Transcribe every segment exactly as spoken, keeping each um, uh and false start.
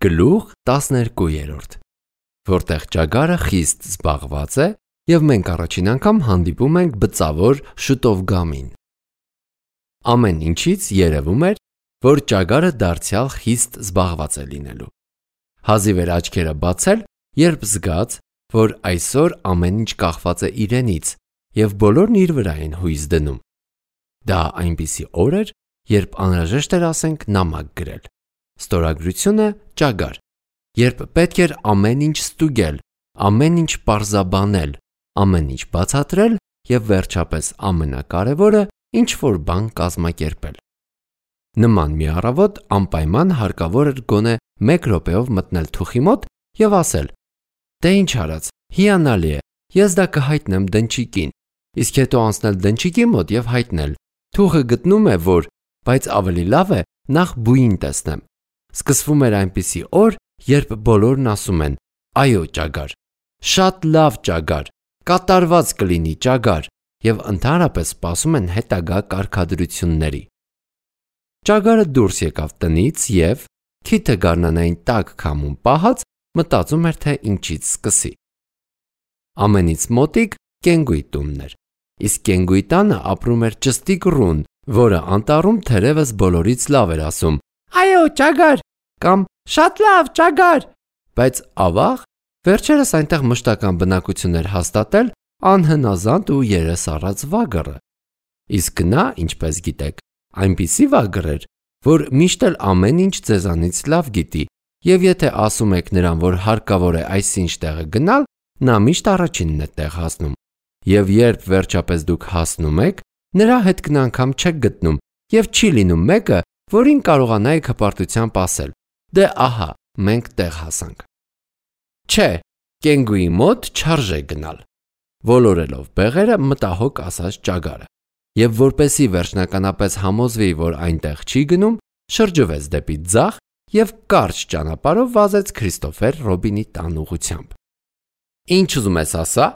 Գլուխ տասներկու, որտեղ ճագարը խիստ զբաղված է և մենք առաջին անգամ հանդիպում ենք բծավոր շուտով գամին։ Ամեն ինչից երևում էր, որ ճագարը դարձյալ խիստ զբաղված է լինելու։ Հազիվ էր աչքերը բացել, երբ զգաց, որ այսօր ամեն ինչ կախված է իրենից և բոլորն իր վրա են հույս դնում։ Դա այնպիսի օր էր, երբ անհրաժեշտ էր ասենք նամակ գրել։ Ստորագրությունը ճագար, երբ պետք էր ամեն ինչ ստուգել, ամեն ինչ պարզաբանել, ամեն ինչ բացատրել և վերջապես ամենակարևորը ինչ-որ բան կազմակերպել։ Նման մի առավոտ անպայման հարկավոր էր գոնե մեկ րոպեով մտնել թուխի մոտ և ասել. «Դե ինչ արած, հիանալի է, ես դա կհայտնեմ դնչիկին», իսկ հետո անցնել դնչիկի մոտ և հայտնել. «Թուխը գտնում է, որ, բայց ավելի լավ է նախ բույն տեսնեմ»։ Սկսվում էր այնպիսի օր, երբ բոլորն ասում են. «Այո, ճագար, շատ լավ ճագար, կատարված կլինի ճագար» և ընդհանրապես սպասում են հետագա կարգադրությունների։ Ճագարը դուրս եկավ տնից և, թիթը գարնանային տաք քամուն պահած, մտածում էր, թե ինչից սկսի։ Ամենից մոտիկ կենգուի տունն էր, իսկ կենգուի տանը ապրում էր ճստիկ ռուն, որը անտառում թերևս բոլորից լավ էր ասում. «Այո, ճագար» կամ «Շատ լավ, ճագար», բայց ավաղ, վերջերս այնտեղ մշտական բնակություն էր հաստատել անհնազանդ ու երես առած վագրը։ Իսկ նա, ինչպես գիտեք, այնպիսի վագր էր, որ միշտ էլ ամեն ինչ ձեզանից լավ գիտի, և եթե ասում եք նրան, որ հարկավոր է այսինչ տեղը գնալ, նա միշտ առաջինն է տեղ հասնում, և երբ վերջապես դուք հասնում եք, նրա հետքն անգամ չեք գտնում և չի լինում մեկը, որին կարողանայիք հպարտությամբ ասել. «Դե ահա, մենք տեղ հասանք»։ Չէ, կենգուի մոտ չարժե գնալ, ոլորելով բեղերը մտահոգ ասաց ճագարը, և որպեսզի վերջնականապես համոզվի, որ այնտեղ չի գնում, շրջվեց դեպի ձախ և կարճ ճանապարհով վազեց Քրիստոֆեր Ռոբինի տան ուղղությամբ։ «Ինչ ուզում ես ասա»,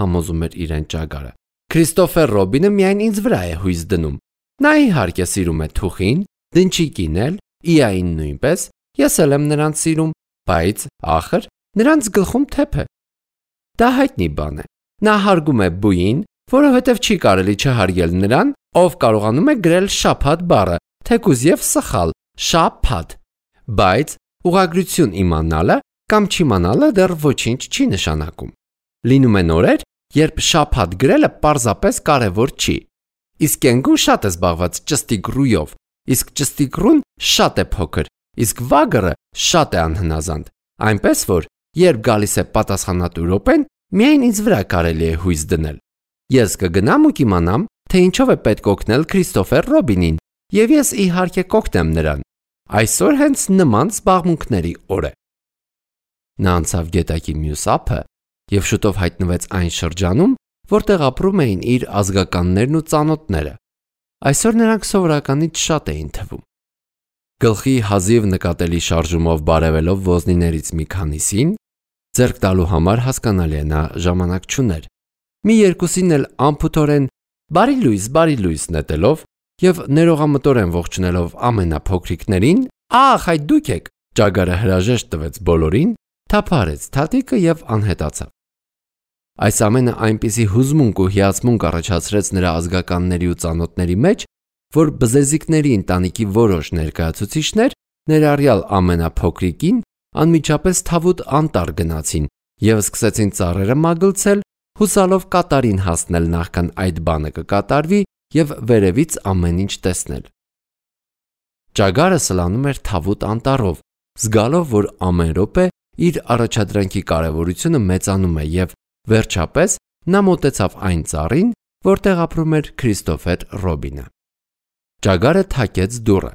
համոզում էր իրեն ճագարը, «Քրիստոֆեր Ռոբինը միայն ինձ վրա է հույս դնում։ Նա իհարկե սիրում է թուխին, դնչիկին էլ, Իային նույնպես, ես էլ եմ նրանց սիրում, բայց, ախր, նրանց գլխում թեփ է։ Դա հայտնի բան է։ Նա հարգում է բույին, որովհետև չի կարելի չհարգել նրան, ով կարողանում է գրել շաբաթ բառը, թեկուզ և սխալ, շա-փաթ։ Բայց ուղղագրություն իմանալը կամ չիմանալը դեռ ոչինչ չի նշանակում։ Լինում են օրեր, երբ շաբաթ գրելը պարզապես կարևոր չի։ Իսկ կենգուն շատ է զբաղված ճստիկ ռույով, իսկ ճստիկ ռուն շատ է փոքր, իսկ վագրը շատ է անհնազանդ, այնպես որ, երբ գալիս է պատասխանատու րոպեն, միայն ինձ վրա կարելի է հույս դնել։ Ես կգնամ ու կիմանամ, թե ինչով է պետք օգնել Քրիստոֆեր Ռոբինին, և ես իհարկե կօգնեմ նրան։ Այսօր հենց նման զբաղմունքների օր է։ Նա անցավ գետակի մյուս ափը և շուտով հայտնվեց այն շրջանում, որտեղ ապրում էին իր ազգականներն ու ծանոթները։ Այսօր նրանք սովորականից շատ էին թվում։ Գլխի հազիվ նկատելի շարժումով բարևելով ոզնիներից մի քանիսին, ձեռք տալու համար հասկանալի է նա ժամանակ չուներ, մի երկուսին էլ անփութորեն «Բարի լույս, բարի լույս» նետելով և ներողամտորեն ողջունելով ամենափոքրիկներին, «Ախ, այդ դուք եք», ճագարը հրաժեշտ տվեց բոլորին, թափահարեց թաթիկը և անհետացավ։ Այս ամենը այնպիսի հուզմունք ու հիացմունք առաջացրեց նրա ազգականների ու ծանոթների մեջ, որ բզեզիկների ընտանիքի որոշ ներկայացուցիչներ, ներառյալ ամենափոքրիկին, անմիջապես Թավուտ անտառ գնացին և սկսեցին ծառերը մագլցել, հուսալով կատարին հասնել նախքան այդ բանը կկատարվի և վերևից ամեն ինչ տեսնել։ Ճագարը սլանում էր Թավուտ անտառով, զգալով, որ ամեն րոպե իր առաջադրանքի կարևորությունը մեծանում է և, վերջապես, նա մոտեցավ այն ծառին, որտեղ ապրում էր Քրիստոֆեր Ռոբինը։ Ճագարը թակեց դուռը,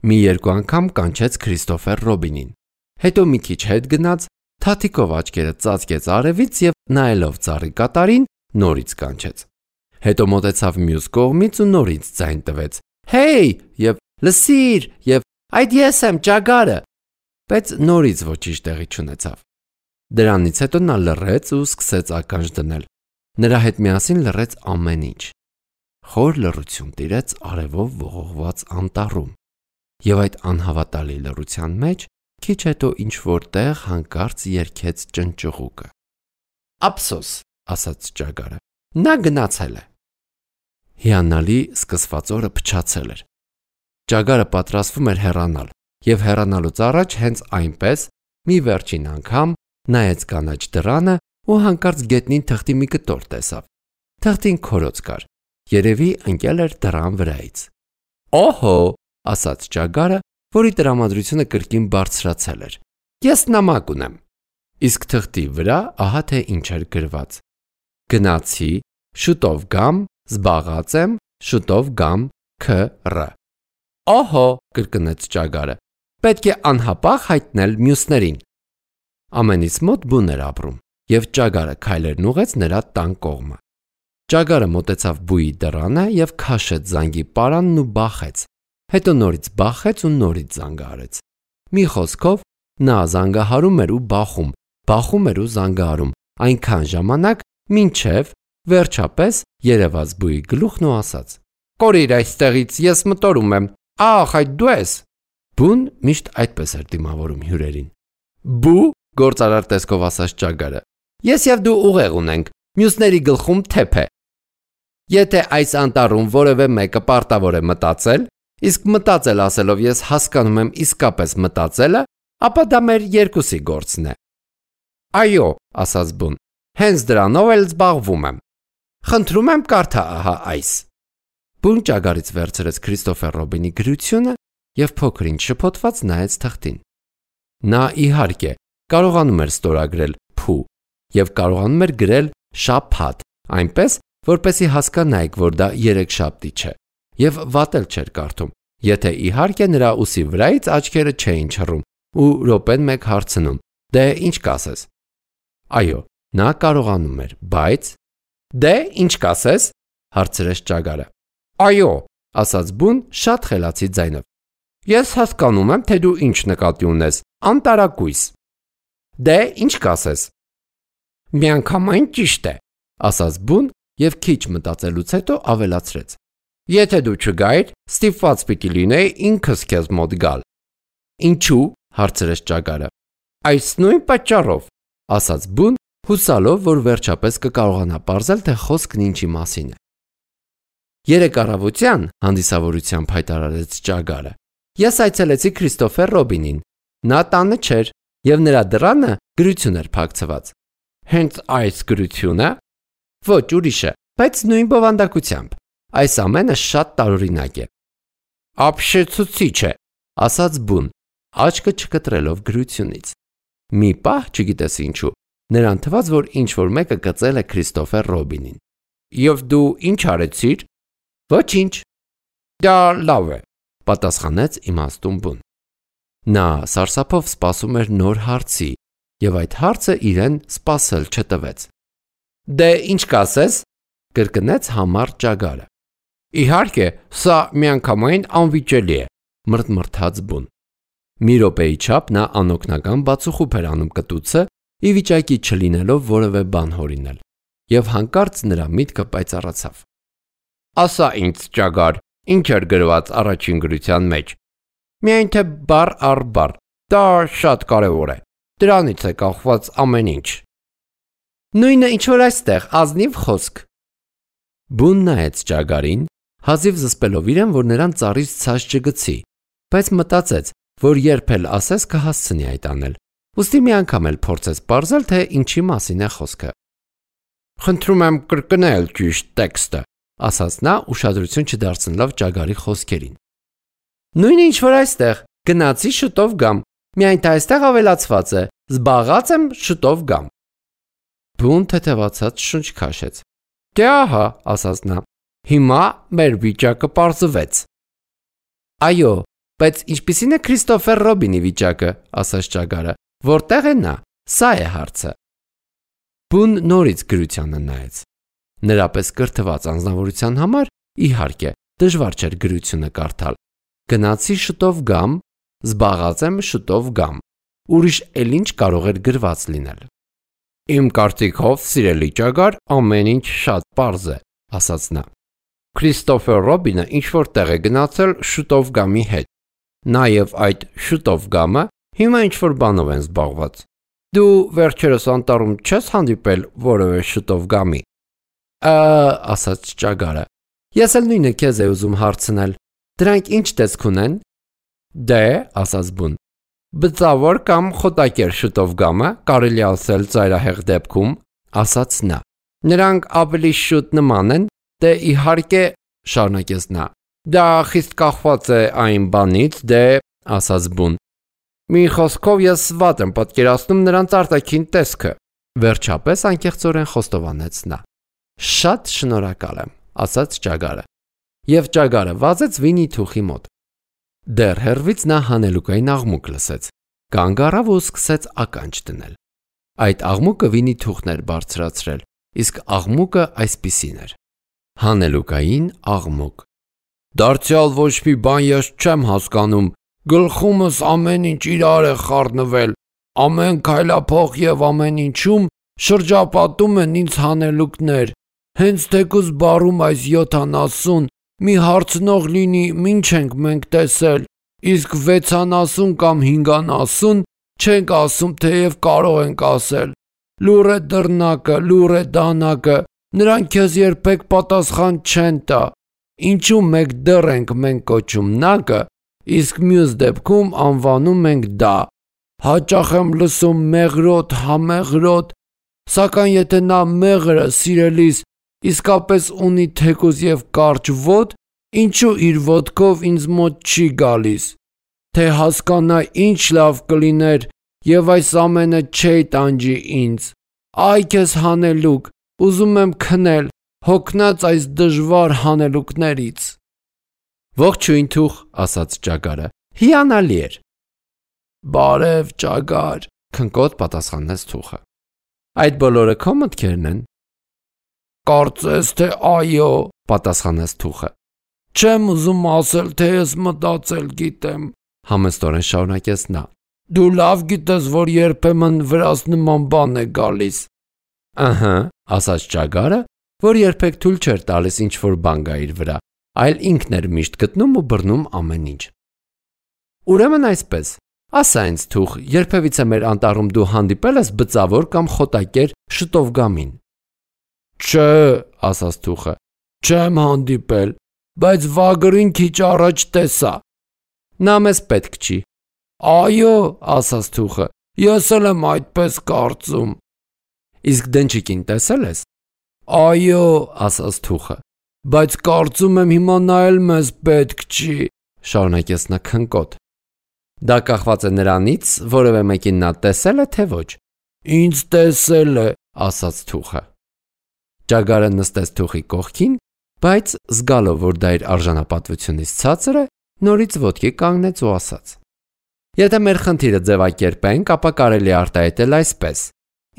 մի երկու անգամ կանչեց Քրիստոֆեր Ռոբինին, հետո մի քիչ հետ գնաց, թաթիկով աչքերը ծածկեց արևից և, նայելով ծառի կատարին, նորից կանչեց։ Հետո մոտեցավ մյուս կողմից ու նորից ձայն տվեց. «Հեյ» և «Լսիր» և «Այդ ես եմ, ճագարը», բայց նորից ոչինչ տեղի չունեցավ։ Դրանից հետո նա լռեց ու սկսեց ականջ դնել։ Նրա հետ միասին լռեց ամեն ինչ։ Խոր լռություն տիրեց արևով ողողված անտառում, և այդ անհավատալի լռության մեջ Քիչ հետո ինչ որտեղ հանկարծ երգեց ճնճղուկը։ Ափսոս, ասաց ճագարը, նա գնացել է։ Հիանալի սկսված օրը փչացել էր։ Ճագարը պատրաստվում էր հեռանալ, եւ հեռանալուց առաջ հենց այնպես մի վերջին անգամ նայեց կանաչ դռանը ու հանկարծ գետնին թղթի մի կտոր տեսավ։ Թղթին քորոց կար, երևի ընկել էր դռան վրայից։ Օհո, ասաց ճագարը, որի տրամադրությունը կրկին բարձրացել էր։ Ես նամակ ունեմ։ Իսկ թղթի վրա ահա թե ինչ էր գրված. Գնացի, շուտով գամ, զբաղած եմ, շուտով գամ, քր։ Օհո, կրկնեց ճագարը, պետք է անհապաղ հայտնել մյուսներին։ Ամենից մոտ բուն էր ապրում, եւ ճագարը քայլերն ուղեց նրա տան կողմը։ Ճագարը մոտեցավ բուի դռանը եւ քաշեց զանգի պարանն ու բախեց։ Հետո նորից բախեց ու նորից զանգը արեց։ Մի խոսքով նա զանգահարում էր ու բախում, բախում էր ու զանգահարում, այնքան ժամանակ, մինչև վերջապես երևաց բուի գլուխն ու ասաց. Կորիր այստեղից, ես մտորում եմ։ Ահ, այդ դու ես։ Բուն միշտ այդպես էր դիմավորում հյուրերին։ Բու, գործարար տեսքով ասաց ճագարը։ Ես եւ դու ուղեղ ունենք, մյուսների գլխում թեփ է։ Եթե այս անտառում որևէ մեկը պարտավոր է մտածել, իսկ մտածել ասելով ես հասկանում եմ իսկապես մտածելը, ապա դա մեր երկուսի գործն է։ Այո, ասաց Բուն, հենց դրանով էլ զբաղվում եմ։ Խնդրում եմ կարդա ահա այս։ Բուն ճագարից վերցրեց Քրիստոֆեր Ռոբինի գրությունը եւ փոքրինչ շփոթված նայեց թղթին։ Նա իհարկե կարողանում էր ստորագրել փու եւ կարողանում էր գրել շաբաթ, այնպես որպեսի հասկանայիք, որ դա երեքշաբթի չէ, եւ վատել չէր կարդում, եթե իհարկե նրա ուսի վրայից աչքերը չէին չռում ու րոպեն մեկ հարցնում. Դե ինչ կասես։ Այո, նա կարողանում էր, բայց Դե ինչ կասես, հարցրեց ճագարը։ Այո, ասաց Բուն շատ խելացի ձայնով։ Ես հասկանում եմ, թե դու ինչ նկատի ունես, անտարակույս։ Դե ինչ կասես։ Միանգամայն ճիշտ է, ասաց Բուն եւ քիչ մտածելուց հետո ավելացրեց. Եթե դու չգայիր, ստիպված պիտի լինեի ինքս քեզ մոտ գալ։ Ինչու՞, հարցրեց ճագարը։ Այս նույն պատճառով, ասաց Բուն, հուսալով, որ վերջապես կկարողանա պարզել, թե խոսքն ինչի մասին է։ Երեք առավոտյան հանդիսավորությամբ հայտարարեց ճագարը։ Ես այցելեցի Քրիստոֆեր Ռոբինին։ Նա տանը չէր եւ նրա դռանը գրություն էր փակցված։ Հենց այս գրությունը։ Ոչ, ուրիշը, բայց նույն բովանդակությամբ։ Այս ամենը շատ տարօրինակ է։ Ապշեցուցիչ է, ասաց Բուն, աչքը չկտրելով գրությունից։ Մի պահ, չգիտես ինչու, նրան թվաց, որ ինչ-որ մեկը կծել է Քրիստոֆեր Ռոբինին։ Եվ դու ինչ արեցիր։ Ոչինչ։ Դա լավ է, պատասխանեց իմաստուն Բուն։ Նա սարսափով սպասում էր նոր հարցի, եւ այդ հարցը իրեն սպասել չտվեց։ Դե ինչ կասես, կրկնեց համառ ճագարը։ Իհարկե, սա միանգամայն անվիճելի է, մրթմրթաց Բուն։ Մի րոպեի չափ նա անօգնական բացուխուփ էր անում կտուցը, ի վիճակի չլինելով որևէ բան հորինել, եւ հանկարծ նրա միտքը պայծառացավ։ Ասա ինձ, ճագար, ինչ էր գրված առաջին գրության մեջ։ Միայն թե բառ առ բառ, դա շատ կարևոր է։ Դրանից է կախված ամեն ինչ։ Նույնը ինչ որ այստեղ, ազնիվ խոսք։ Բուն նայեց ճագարին, հազիվ զսպելով իրեն, որ նրան ծառից ցած չգցի, բայց մտածեց, որ երբ էլ ասես կհասցնի այդ անել։ Ուստի մի անգամ էլ փորձեց պարզել, թե ինչի մասին է խոսքը։ Խնդրում եմ կրկնել ճիշտ տեքստը, ասաց նա ուշադրություն չդարձնելով ճագարի խոսքերին։ Նույնը ինչ որ այստեղ, գնացի շուտով գամ, միայն թե այստեղ ավելացված է, զբաղած եմ շուտով գամ։ Բուն թեթևացած շունչ քաշեց։ Դե ահա, ասաց նա, հիմա մեր վիճակը պարզվեց։ Այո, բայց ինչպիսին է Քրիստոֆեր Ռոբինի վիճակը, ասաց ճագարը, որտեղ է նա, սա է հարցը։ Բուն նորից գրությանը նայեց։ Նրա պես կրթված անձնավորության համար, իհարկե, դժվար չէր գրությունը կարդալ։ Գնացի շուտով գամ, զբաղած եմ շուտով գամ։ Ուրիշ էլ ինչ կարող էր գրված լինել։ Իմ կարծիքով, սիրելի ճագար, ամեն ինչ շատ պարզ է, ասաց նա։ Քրիստոֆեր Ռոբինը ինչ որ տեղ է գնացել շուտով գամի հետ։ Նաև այդ շուտով գամը Հիմա ինչ-որ բանով են զբաղված։ Դու վերջերս անտառում չես հանդիպել որևէ շուտով գամի։ Ա, ասաց ճագարը։ Ես էլ նույնը քեզ եմ ուզում հարցնել։ Դրանք ինչ տեսք ունեն։ Դե, ասաց բուն։ Բծավոր կամ խոտակեր շուտով գամը, կարելի ասել ծայրահեղ դեպքում, ասաց նա։ Նրանք ավելի շուտ նման են, դե իհարկե, շարունակեց նա։ Դա խիստ կախված է այն բանից, դե, ասաց բուն։ Մի խոսքով ես վատ եմ պատկերացնում նրանց արտաքին տեսքը։ Վերջապես անկեղծորեն խոստովանեց նա։ Շատ շնորհակալ եմ, ասաց ճագարը։ Եվ ճագարը վազեց Վինի Թուխի մոտ։ Դեռ հեռվից նա հանելուկային աղմուկ լսեց, կանգ առավ ու սկսեց ականջ դնել։ Այդ աղմուկը Վինի Թուխն էր բարձրացրել, իսկ աղմուկը այսպիսին էր. հանելուկային աղմուկ։ Դարձյալ ոչ մի բան ես չեմ հասկանում, գլխումս ամեն ինչ իրար է խառնվել, ամեն քայլափող եւ ամեն ինչում շրջապատում են ինձ հանելուկներ, հենց թեկուզ բարում այս յոթանասուն, մի հարցնող լինի, ինչ ենք մենք տեսել, իսկ վեցանասուն կամ հինգանասուն չենք ասում, թեև կարող ենք ասել։ Լուր է դռնակը, լուր է դանակը, նրանք քեզ երբեք պատասխան չեն տա։ Ինչու մեկ դեռ ենք մենք կոչում նակը, իսկ մյուս դեպքում անվանում ենք դա։ Հաճախ եմ լսում մեղրոտ, համեղրոտ, սակայն եթե նա մեղրը սիրելիս իսկապես ունի թեկուզ եւ կարճ ոտ, ինչու իր ոտքով ինձ մոտ չի գալիս, թե հասկանա ինչ լավ կլիներ եւ այս ամենը չի տանջի ինձ։ Այ քեզ հանելուկ, ուզում եմ քնել, հոգնած այս դժվար հանելուկներից։ Ողջույն Թուխ, ասաց ճագարը, հիանալի էր։ Բարև ճագար, քնկոտ պատասխանեց Թուխը։ Այդ բոլորը քո մտքերն են։ Կարծես թե այո, պատասխանեց Թուխը։ Չեմ ուզում ասել, թե ես մտածել գիտեմ, համեստորեն շարունակեց նա։ Դու լավ գիտես, որ երբեմն վրաս նման բան է գալիս։ Ահա, ասաց ճագարը, որ երբեք թույլ չէր տալիս ինչ-որ բան գա իր վրա, այլ ինքն էր միշտ գտնում ու բռնում ամեն ինչ։ Ուրեմն այսպես, ասա ինձ Թուխ, երբևիցե մեր անտառում դու հանդիպել ես բծավոր կամ խոտակեր շուտով գամին։ Չէ, ասաց Թուխը, չեմ հանդիպել, բայց վագրին քիչ առաջ տեսա։ Նա մեզ պետք չի։ Այո, ասաց Թուխը, ես էլ եմ այդպես կարծում։ Իսկ դնչիկին տեսել ես։ Այո, ասաց Թուխը, բայց կարծում եմ հիմա նա էլ մեզ պետք չի, շարունակեց նա քնկոտ։ Դա կախված է նրանից, որևէ մեկին նա տեսել է, թե ոչ։ Ինձ տեսել է, ասաց Թուխը։ Ճագարը նստեց Թուխի կողքին, բայց զգալով, որ դա իր արժանապատվությունից ցածր է, նորից ոտքի կանգնեց ու ասաց. Եթե մեր խնդիրը ձևակերպենք, ապա կարելի է արտահայտել այսպես.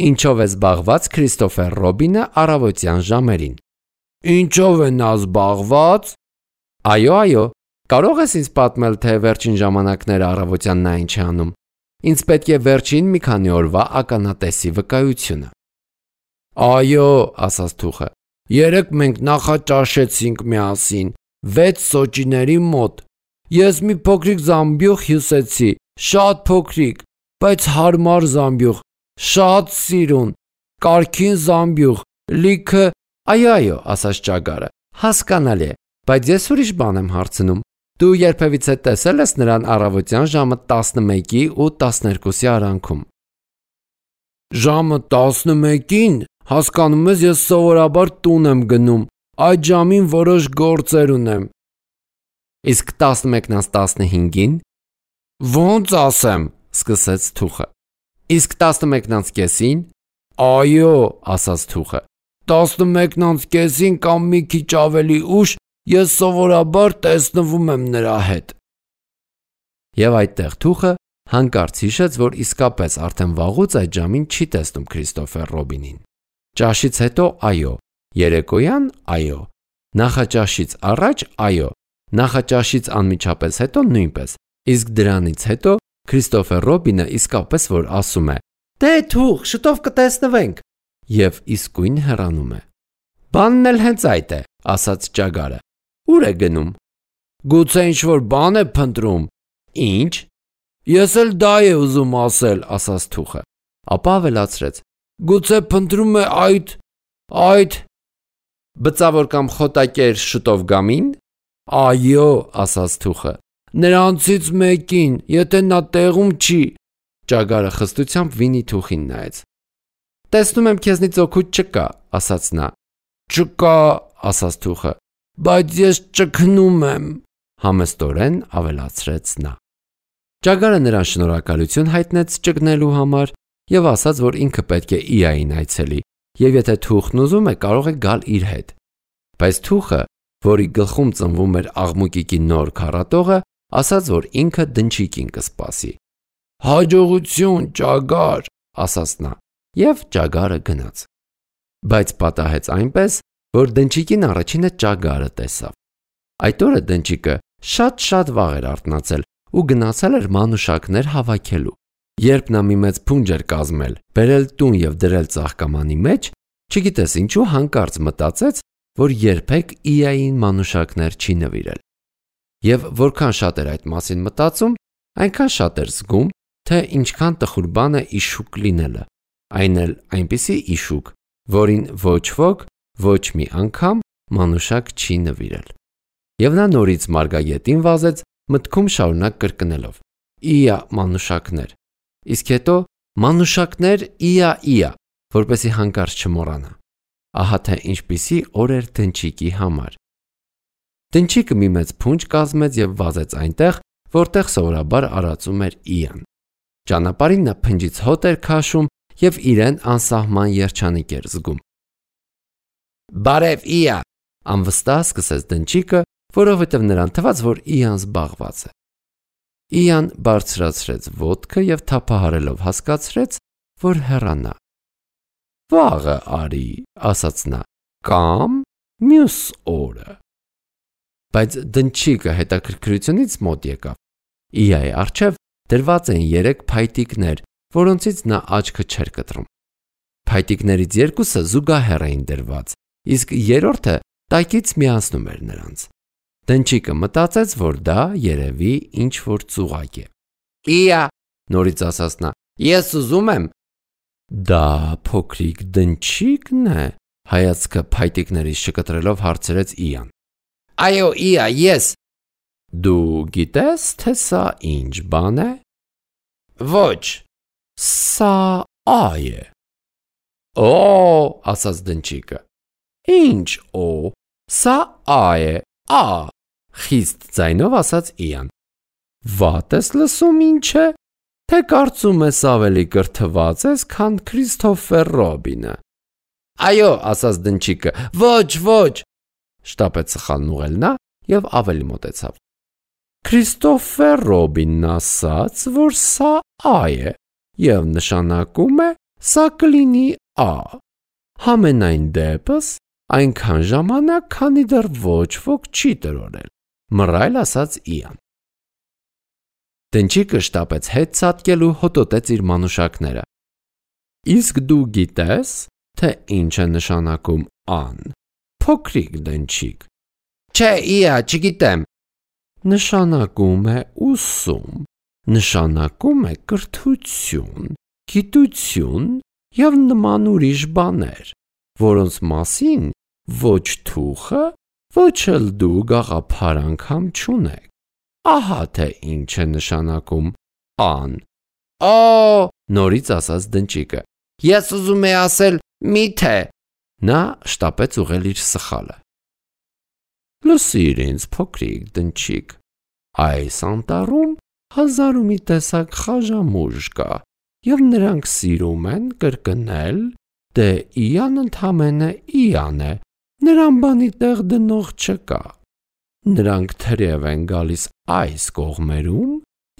Ինչով է զբաղված Քրիստոֆեր Ռոբինը առավոտյան ժամերին։ Ինչով է նա զբաղված։ Այո, այո, կարող ես ինձ պատմել, թե վերջին ժամանակները առավոտյան նա ինչ է անում։ Ինձ պետք է վերջին մի քանի օրվա ականատեսի վկայությունը։ Այո, ասաց Թուխը, երեկ մենք նախաճաշեցինք միասին, վեց սոճիների մոտ։ Ես մի փոքրիկ զամբյուղ հյուսեցի, շատ փոքրիկ, բայց հարմար զամբյուղ, շատ սիրուն, կարքին զամբյուղ, լիքը։ Այո, այո, ասաց ճագարը, հասկանալի է, բայց ես ուրիշ բան եմ հարցնում։ Դու երբևիցե տեսել ես նրան առավոտյան ժամը տասնմեկի ու տասներկուսի արանքում։ Ժամը տասնմեկին, հասկանում ես, ես սովորաբար տուն եմ գնում, այդ ժամին որոշ գործեր ունեմ։ Իսկ տասնմեկն անց տասնհինգին։ Ոնց ասեմ, սկսեց Թուխը։ Իսկ տասնմեկն անց կեսին։ Այո, ասաց Թուխը, տասնմեկն անց կեսին կամ մի քիչ ավելի ուշ ես սովորաբար տեսնվում եմ նրա հետ։ Եվ այդտեղ Թուխը հանկարծ հիշեց, որ իսկապես արդեն վաղուց այդ ժամին չի տեսնում Քրիստոֆեր Ռոբինին։ Ճաշից հետո այո, երեկոյան այո, նախաճաշից առաջ այո, նախաճաշից անմիջապես հետո նույնպես, իսկ դրանից հետո Քրիստոֆեր Ռոբինը իսկապես որ ասում է. Դե Թուխ, շուտով կտեսնվենք, եւ իսկույն հեռանում է։ Բանն էլ հենց այդ է, ասաց ճագարը։ Ուր է գնում։ Գուցե ինչ-որ բան է փնտրում։ Ինչ։ Ես էլ դա է ուզում ասել, ասաց թուխը։ Ապա ավելացրեց. Գուցե փնտրում է այդ այդ բծավոր կամ խոտակեր շուտով գամին։ Այո, ասաց թուխը։ Նրանցից մեկին, եթե նա տեղում չի։ Ճագարը խստությամբ վինի թուխին նայեց։ Տեսնում եմ քեզնից օգուտ չկա, ասաց նա։ Չկա, ասաց թուխը, բայց ես ճգնում եմ, համեստորեն ավելացրեց նա։ Ճագարը նրան շնորհակալություն հայտնեց ճգնելու համար եւ ասաց, որ ինքը պետք է Իային այցելի, եւ եթե թուխն ուզում է, կարող է գալ իր հետ։ Բայց թուխը, որի գլխում ծնվում էր աղմուկիկի նոր քառատողը, ասաց, որ ինքը դնչիկին կսպասի։ Հաջողություն, ճագար, ասաց նա, եւ ճագարը գնաց։ Բայց պատահեց այնպես, որ դնչիկին առաջինը ճագարը տեսավ։ Այդ օրը դնչիկը շատ-շատ վաղ էր արթնացել ու գնացել էր մանուշակներ հավաքելու։ Երբ նա մի մեծ փունջ էր կազմել, բերել տուն եւ դրել ծաղկամանի մեջ, չգիտես ինչու հանկարծ մտածեց, որ երբեք Իային մանուշակներ չի նվիրել։ Եվ որքան շատ էր այդ մասին մտածում, այնքան շատ էր զգում, թե ինչքան տխուր բան է իշուկ լինելը, այն էլ այնպիսի իշուկ, որին ոչ ոք ոչ մի անգամ մանուշակ չի նվիրել։ Եվ նա նորից մարգագետին վազեց, մտքում շարունակ կրկնելով. Իա մանուշակներ։ Իսկ հետո մանուշակներ իա իա, որպեսի հանկարծ չմոռանա։ Ահա թե ինչպիսի օր էր դնչիկի համար։ Դնչիկը մի մեծ փունջ կազմեց եւ վազեց այնտեղ, որտեղ սովորաբար արածում էր Իան։ Ճանապարհին նա փնջից հոտ էր քաշում եւ իրեն անսահման երջանիկ էր զգում։ Բարև Իա, անվստահ սկսեց դնչիկը, որովհետև նրան թվաց, որ Իան զբաղված է։ Իան բարձրացրեց ոտքը եւ թափահարելով հասկացրեց, որ հեռանա։ Վաղը արի, ասաց նա, կամ մյուս օրը։ Բայց դնչիկը հետաքրքրությունից մոտ եկավ։ Իայի առջև դրված էին երեք փայտիկներ, որոնցից նա աչքը չէր կտրում։ Փայտիկներից երկուսը զուգահեռ էին դրված, իսկ երրորդը տակից միացնում էր նրանց։ Դնչիկը մտածեց, որ դա երևի ինչ որ ծուղակ է։ Իա, նորից ասաց նա, ես ուզում եմ։ Դա փոքրիկ դնչիկն է, հայացքը փայտիկներից չկտրելով հարցրեց Իան։ Այո, Իա, ես։ Դու գիտես, թե սա ինչ բան է։ Ոչ։ Սա այ է։ Օ, ասաց դնչիկը։ Ինչ օ, սա այ է, ա, խիստ ձայնով ասաց Իան։ Վատ ես լսում ինչ է, թե կարծում ես ավելի կրթված ես, քան Քրիստոֆեր Ռոբինը։ Այո, ասաց դնչիկը, ոչ, ոչ, շտապեց սխալն ուղղել նա եւ ավելի մոտեցավ։ Քրիստոֆեր Ռոբինն ասաց, որ սա այ է եւ նշանակում է սա կլինի ա։ Համենայն դեպս այնքան ժամանակ, քանի դեռ ոչ ոք չի տրորել, մռայլ ասաց Իան։ Դնչիկը շտապեց հետ ցատկելու, հոտոտեց իր մանուշակները։ Իսկ դու գիտես, թե ինչ է նշանակում ան, փոքրիկ դնչիկ։ Չէ, Իա, չգիտեմ։ Նշանակում է ուսում, նշանակում է կրթություն, գիտություն եւ նման ուրիշ բաներ, որոնց մասին ոչ թուխը, ոչ էլ դու գաղափար անգամ չունեք։ Ահա թե ինչ է նշանակում ան։ Օ, նորից ասաց դնչիկը։ Ես ուզում եմ ասել միթե։ Նա շտապեց ուղղել իր սխալը։ Լսիր ինձ, փոքրիկ դնչիկ, այս անտառում հազար ու մի տեսակ խաժամուժ կա, եւ նրանք սիրում են կրկնել, թե Իան ընդամենը Իան է, նրան բանի տեղ դնող չկա։ Նրանք թրև են գալիս այս կողմերում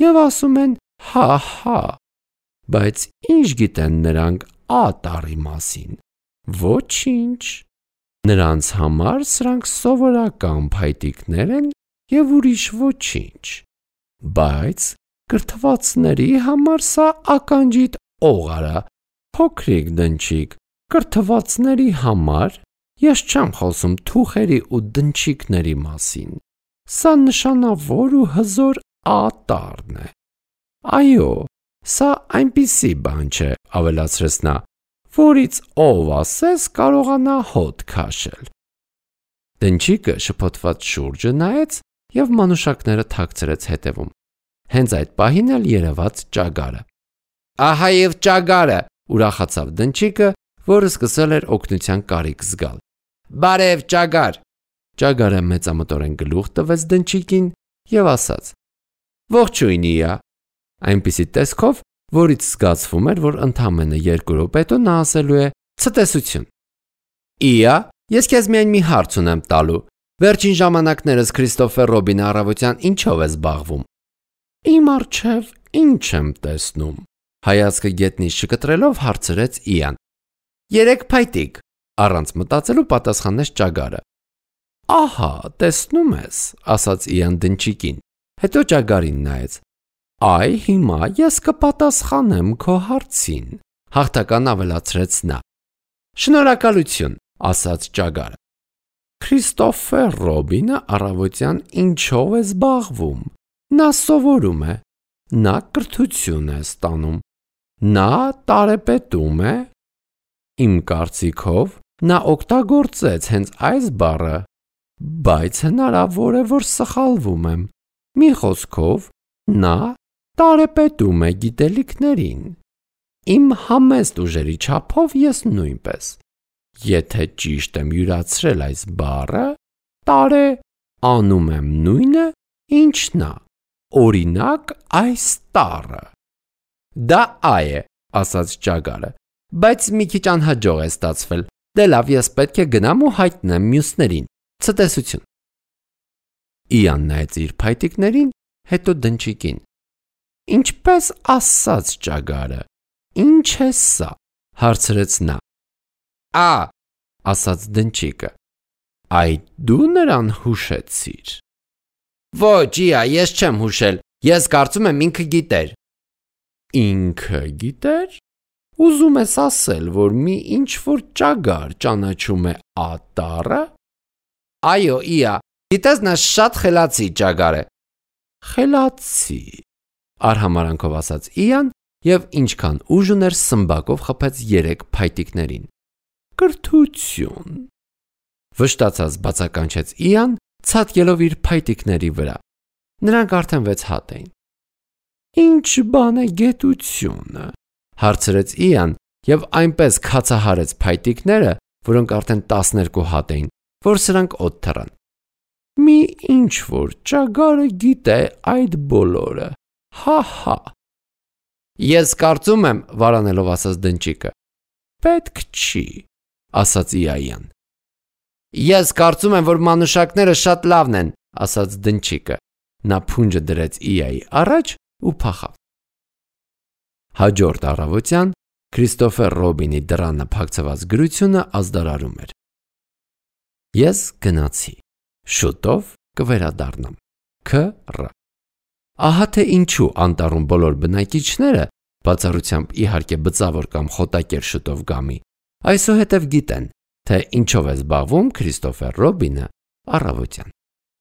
եւ ասում են հա-հա, բայց ինչ գիտեն նրանք ա տառի մասին։ Ոչինչ։ Նրանց համար սրանք սովորական փայտիկներ են եւ ուրիշ ոչինչ։ Բայց կրթվածների համար սա ականջիդ օղարա, փոքրիկ դնչիկ, կրթվածների համար ես չեմ խոսում թուխերի ու դնչիկների մասին։ Սա նշանավոր ու հզոր ա տառն է։ Այո, սա այնպիսի բան չէ, ավելացրեց նա, որից ով ասես կարողանա հոտ քաշել։ Դնչիկը շփոթված շուրջը նայեց և մանուշակները թաքցրեց հետևում։ Հենց այդ պահին էլ երևաց ճագարը։ Ահա և ճագարը, ուրախացավ դնչիկը, որը սկսել էր օգնության կարիք զգալ։ Բարև ճագար։ Ճագարը մեծամտորեն գլուխ տվեց դնչիկին և ասաց. Ողջույն իա։ Այնպիսի տեսքով, որից զգացվում էր, որ ընդամենը երկու րոպե հետո նա ասելու է ցտեսություն։ Իա, ես քեզ միայն մի հարց ունեմ տալու։ Վերջին ժամանակներս Քրիստոֆեր Ռոբինը առավոտյան ինչով է զբաղվում։ Իմ առջև ինչ եմ տեսնում։ Հայացքը գետնից չկտրելով հարցրեց Իան։ Երեք փայտիկ, առանց մտածելու պատասխանեց ճագարը։ Ահա, տեսնում ես, ասաց Իան դնչիկին։ Հետո ճագարին նայեց։ Այ հիմա ես կպատասխանեմ քո հարցին, հաղթական ավելացրեց նա։ Շնորհակալություն, ասաց ճագարը։ Քրիստոֆեր Ռոբինը առավոտյան ինչով է զբաղվում։ Նա սովորում է, նա կրթություն է ստանում, նա տարեպետում է։ Իմ կարծիքով նա օգտագործեց հենց այս բառը, բայց հնարավոր է, որ սխալվում եմ։ Մի խոսքով, նա տարեպետում է գիտելիքներին։ Իմ համեստ ուժերի չափով ես նույնպես։ Եթե ճիշտ եմ յուրացրել այս բառը, տարե անում եմ նույնը, ինչ նա։ Օրինակ այս տառը։ Դա այ է, ասաց ճագարը, բայց մի քիչ անհաջող է ստացվել։ Դե լավ, ես պետք է գնամ ու հայտնեմ մյուսներին։ Ցտեսություն։ Իան նայեց իր փայտիկներին, հետո դնչիկին։ Ինչպես ասաց ճագարը, ինչ է սա, հարցրեց նա։ Ա, ասաց դնչիկը, այդ դու նրան հուշեցիր։ Ոչ, Իա, ես չեմ հուշել, ես կարծում եմ ինքը գիտեր։ Ինքը գիտեր։ Ուզում ես ասել, որ մի ինչ-որ ճագար ճանաչում է ատառը։ Այո, Իա, գիտես նա շատ խելացի ճագար է։ Խելացի, արհամարանքով ասաց Իան և ինչքան ուժ ուներ սմբակով խփեց երեք փայտիկներին։ Կրթություն։ Վշտացած բացականչեց Իան, ցատկելով իր փայտիկների վրա։ Նրանք արդեն վեց հատ էին։ Ինչ բան է գետությունը, հարցրեց Իան և այնպես քացահարեց փայտիկները, որոնք արդեն տասներկու հատ էին, որ սրանք օդ թռան։ Մի ինչ-որ ճագարը գիտե այդ բոլորը, հա-հա։ Ես կարծում եմ, վարանելով ասաց դնչիկը, պետք չի, ասաց Իան։ Ես կարծում եմ, որ մանուշակները շատ լավն են, ասաց դնչիկը։ Նա փունջը դրեց Իայի առաջ ու փախավ։ Հաջորդ առավոտյան Քրիստոֆեր Ռոբինի դռանը փակցված գրությունը ազդարարում էր։ Ես գնացի, շուտով կվերադառնամ։ Ք Ռ Ահա թե ինչու անտառում բոլոր բնակիչները, բացառությամբ իհարկե բծավոր կամ խոտակեր շուտով գամի, այսուհետև գիտեն, թե ինչով է զբաղվում Քրիստոֆեր Ռոբինը առավոտյան։